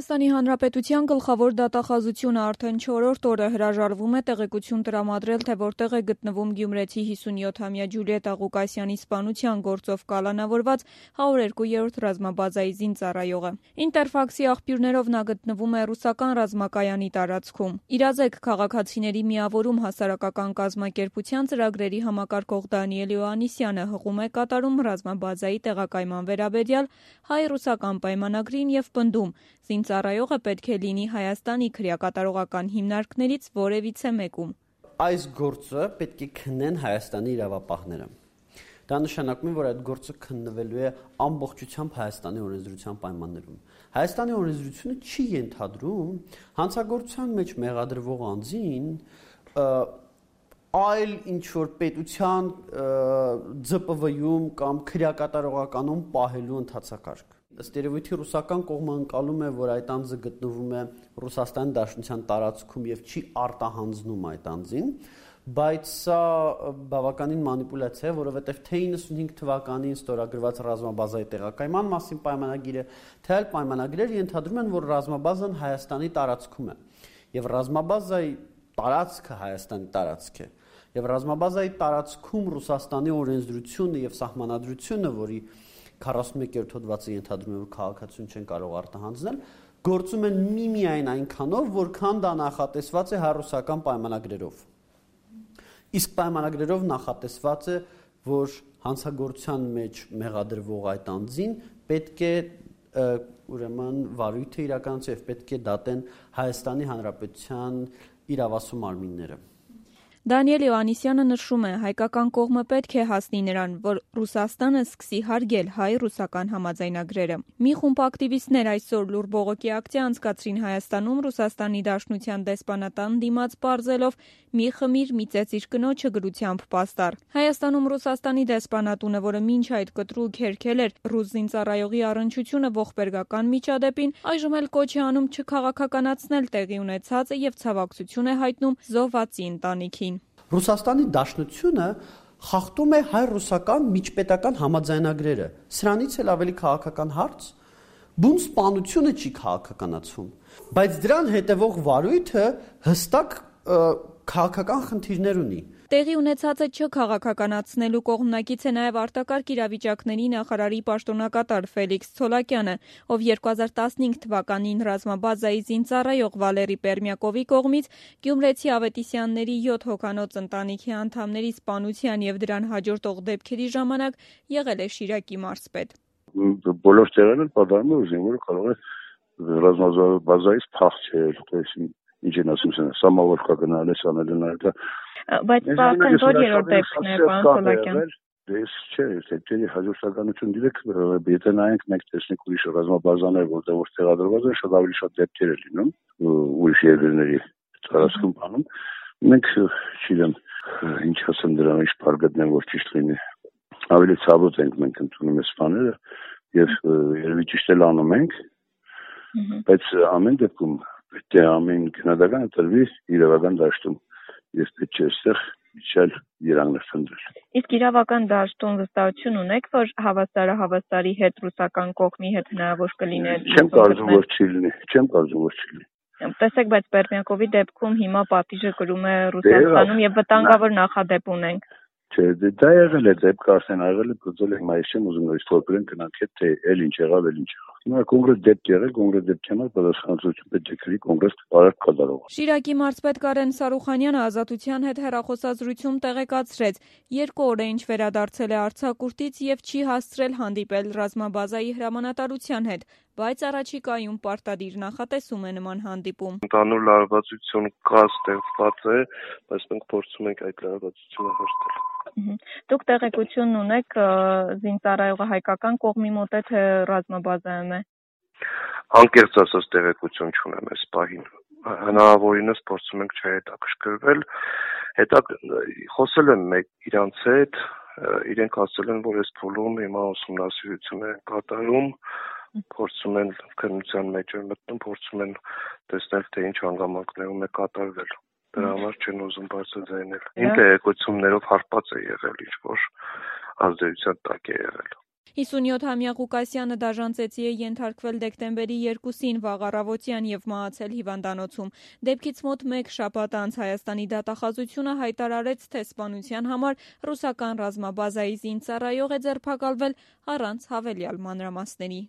Հայաստանի Հանրապետության գլխավոր դատախազությունը արդեն 4-րդ օրը հրաժարվում է տեղեկություն տրամադրել, թե որտեղ է գտնվում գյումրեցի 57-ամյա Ջուլիետտա Ղուկասյանի սպանության գործով կալանավորված 102-րդ ռազմաբազայի զինծառայողը։ Ինտերֆաքսի աղբյուրներով նա գտնվում է ռուսական ռազմակայանի տարածքում։ «Իրազեկ քաղաքացիների միավորում» հասարակական կազմակերպության ծրագրերի համակարգող Դանիել Հովհաննիսյանը հղում է կատարում ռազմաբազայի տեղակայման վերաբերյալ հայ-ռուսական պայմանագրին և պնդում՝ զինծառայողը պետք է լինի Հայաստանի քրեակատարողական հիմնարկներից որևիցե մեկում։ Այս գործը պետք է քննեն Հայաստանի իրավապահները։ Դա նշանակում է, որ այդ գործը քննվելու է ամբողջությամբ Հայաստանի օրենսդրության պայմաններում։ Հայաստանի օրենսդրությունը չի ենթադրում հանցագործության մեջ մեղադրվող անձին այլ ինչ-որ պետության ՁՊՎ-ում կամ քրեակատարողականում պահելու ընթացակարգ։ Ըստ երևույթի ռուսական կողմը ընկալում է, որ այդ անձը գտնվում է Ռուսաստանի Դաշնության տարածքում եւ չի արտահանձնում այդ անձին, բայց սա բավականին մանիպուլյացիա է, որովհետեւ թե 95 թվականին ստորագրված ռազմաբազայի տեղակայման մասին պայմանագիրը, թե այլ պայմանագրեր ենթադրում են, որ ռազմաբազան Հայաստանի տարածքում է եւ ռազմաբազայի տարածքը Հայաստանի տարածք է։ Եվ ռազմաբազայի տարածքում Ռուսաստանի օրենսդրությունը եւ սահմանադրությունը, որի 41-րդ հոդվածը ենթադրում է, որ քաղաքացիություն չեն կարող արտահանձնել, գործում են միմիայն այնքանով, որքան դա նախատեսված է հայ-ռուսական պայմանագրերով։ Իսկ պայմանագրերով նախատեսված է, որ հանցագործության մեջ մեղադրվող այդ անձին պետք է ուրեմն վարույթը իրականացվի եւ պետք է դատեն Հայաստանի Հանրապետության իրավասու մարմինները։ Դանիել Հովհաննիսյանը նշում է, հայկական կողմը պետք է հասնի նրան, որ Ռուսաստանը սկսի հարգել հայ-ռուսական համաձայնագրերը։ Մի խումբ ակտիվիստներ այսօր լուռ բողոքի ակցիա անցկացրին Հայաստանում Ռուսաստանի Դաշնության դեսպանատան դիմաց պարզելով «մի խմիր, մի ծեծիր կնոջը» գրությամբ պաստառ։ Հայաստանում Ռուսաստանի դեսպանատունը, որը մինչ այդ կտրուկ հերքել էր ռուս զինծառայողի առնչությունը ողբերգական միջադեպին, այժմ էլ կոչ է անում չքաղաքականացնել տեղի ունեցածը եւ ցավակցություն է հայտնում զոհվածի ընտանիքին։ Ռուսաստանի Դաշնությունը խախտում է հայ-ռուսական միջպետական համաձայնագրերը։ Սրանից էլ ավելի քաղաքական հարց, բուն սպանությունը չի քաղաքականացվում, բայց դրան հետևող վարույթը հստակ քաղաքական խնդիրներ ունի։ Տեղի ունեցածը չքաղաքականացնելու կողմնակից է նաև արտակարգ իրավիճակների նախարարի պաշտոնակատար Ֆելիքս Ցոլակյանը, ով 2015 թվականին ռազմաբազայի զինծառայող Վալերի Պերմյակովի կողմից գյումրեցի Ավետիսյանների 7 հոգանոց ընտանիքի անդամների սպանության եւ դրան հաջորդող դեպքերի ժամանակ եղել է Շիրակի մարզպետ։ Բոլոր տեղերն էլ պատահում է, զինվորը կարող է ռազմաբազայից փախչել, ինչ են ասում, սամավորկա գնալ է, սանել են այլ։ Բայց արդեն որ երրորդ դեպքն է, պարոն Ցոլակյան։ Դες չէ, դեպքերի հաջորդականություն դիրեք, եթե նայենք մենք տեսնենք ուրիշ ռազմաբազաներ, որտեղ որ տեղադրված են, շատ ավելի շատ դեպքեր է լինում, ուրիշ երկրների տարածքում բանում։ Մենք չգիտեմ, ինչ ասեմ դրան, ինչ բառ գտնեմ, որ ճիշտ լինի։ Ավելի ցավոտ ենք մենք ընդունում այս բաները եւ երևի ճիշտ էլ անում ենք, բայց ամեն դեպքում պետք է ամեն քննադատական տրվի իրավական դաշտում եւ պետք է այստեղ իջալ իրաններ խնդրել։ Իսկ իրավական դաշտում վստահություն ունեք, որ հավասարի հետ ռուսական կողմի հետ հնարավոր կլիներ։ Չեմ կարծում, որ չի լինի։ Տեսեք, բայց Պերմյակովի դեպքում հիմա պատիժը կրում է Ռուսաստանում եւ վտանգավոր նախադեպ ունենք։ Չէ, դա եղել է դեպք արդեն եղել է, գծել է մայիս չեմ ուզում նորից փոխել գնանք հետ թե էլ ինչ եղավ։ Հիմա կոնկրետ դեպք եղել, կոնկրետ դեպքի համար պատասխանատվություն պետք է կրի կոնկրետ բարակ կատարող։ Շիրակի մարզպետ Կարեն Սարուխանյանը Ազատության հետ հեռախոսազրույցում տեղեկացրեց, 2 օր է ինչ վերադարձել է արձակուրդից եւ չի հասցրել հանդիպել ռազմաբազայի հրամանատարության հետ, բայց առաջիկայում պարտադիր նախատեսում է նման հանդիպում։ Ընդհանուր լարվածություն կա ստեղծված է, բայց մենք փորձում ենք այդ լարվածությունը հերթել։ Դուք տեղեկություն ունեք զինծառայողը հայկական կողմի մոտ է թե ռազմաբազայում է։ Անկեղծ ասած տեղեկություն չունեմ այս պահին։ Հնարավորինս փորձում ենք չհետաքրքրվել։ Խոսել եմ իրանց հետ, իրենք ասել են, որ այս փուլում հիմա ուսումնասիրություն է կատարում, փորձում են քննության մեջ են մտնում, փորձում են տեսնել, թե ինչ հանգամանքներում է կատարվել։ Դրա համար չեն ուզում բարձրաձայնել։ Իմ տեղեկություններով հարբած է եղել, ինչ որ ազդեցության տակ է եղել։ 57-ամյա Ղուկասյանը դաժան ծեծի է ենթարկվել դեկտեմբերի 2-ին վաղ առավոտյան եւ մահացել հիվանդանոցում։ Դեպքից մոտ 1 շաբաթ անց Հայաստանի դատախազությունը հայտարարեց, թե սպանության համար ռուսական ռազմաբազայի զինծառայող է ձերբակալվել առանց հավելյալ մանրամասների։